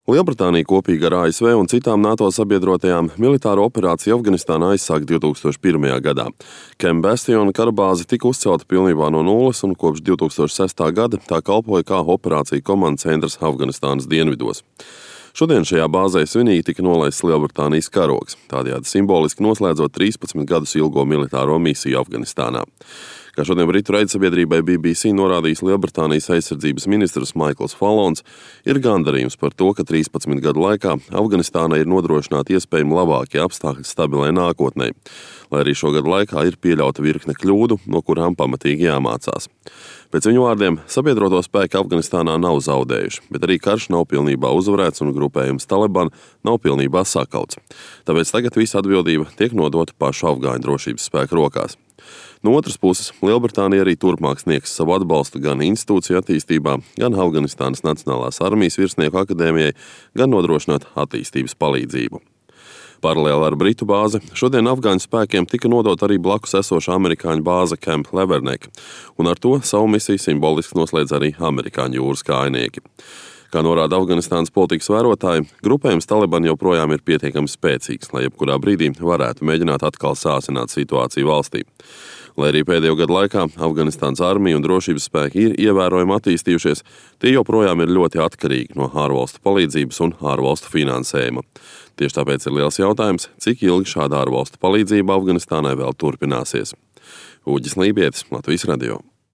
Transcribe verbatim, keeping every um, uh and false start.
Lielbritānija kopīgi ar A S V un citām NATO sabiedrotajām militāro operāciju Afganistānā aizsāka divi tūkstoši pirmajā gadā. Camp Bastion karabāze tika uzcelta pilnībā no nulles un kopš divi tūkstoši sestā gada tā kalpoja kā operāciju komandas centrs Afganistānas dienvidos. Šodien šajā bāzē svinīgi tika nolaists Lielbritānijas karogs, tādējādi simboliski noslēdzot trīspadsmit gadus ilgo militāro misiju Afganistānā. Kā šodien Britu raidsabiedrībai B B C norādījis Lielbritānijas aizsardzības ministrs Maikls Fallons, ir gandarījums par to, ka trīspadsmit gadu laikā Afganistānai ir nodrošināti iespējami labākie apstākļi stabilai nākotnē, lai arī šo gadu laikā ir pieļauta virkne kļūdu, no kurām pamatīgi jāmācās. Pēc viņu vārdiem, sabiedroto spēki Afganistānā nav zaudējuši, bet arī karš nav pilnībā uzvarēts un grupējums Taliban nav pilnībā sakauts. Tāpēc tagad visa atbildība tiek nodota pašu afgāņu drošības spēku rokās. No otras puses, Lielbritānija arī turpmāk sniegs savu atbalstu gan institūciju attīstībā, gan Afganistānas Nacionālās armijas virsnieku akadēmijai, gan nodrošināt attīstības palīdzību. Paralēli ar Britu bāzi, šodien afgāņu spēkiem tika nodota arī blakus esoša amerikāņu bāze Camp Leverneck, un ar to savu misiju simboliski noslēdz arī amerikāņu jūras kājnieki. Kā norāda Afganistānas politikas vērotāji, grupējums Taliban joprojām ir pietiekami spēcīgs, lai jebkurā brīdī varētu mēģināt atkal sāsināt situāciju valstī. Lai arī pēdējo gadu laikā Afganistānas armija un drošības spēki ir ievērojami attīstījušies, tie joprojām ir ļoti atkarīgi no ārvalstu palīdzības un ārvalstu finansējuma. Tieši tāpēc ir liels jautājums, cik ilgi šāda ārvalstu palīdzība Afganistānai vēl turpināsies. Uģis Lībietis, Latvijas radio.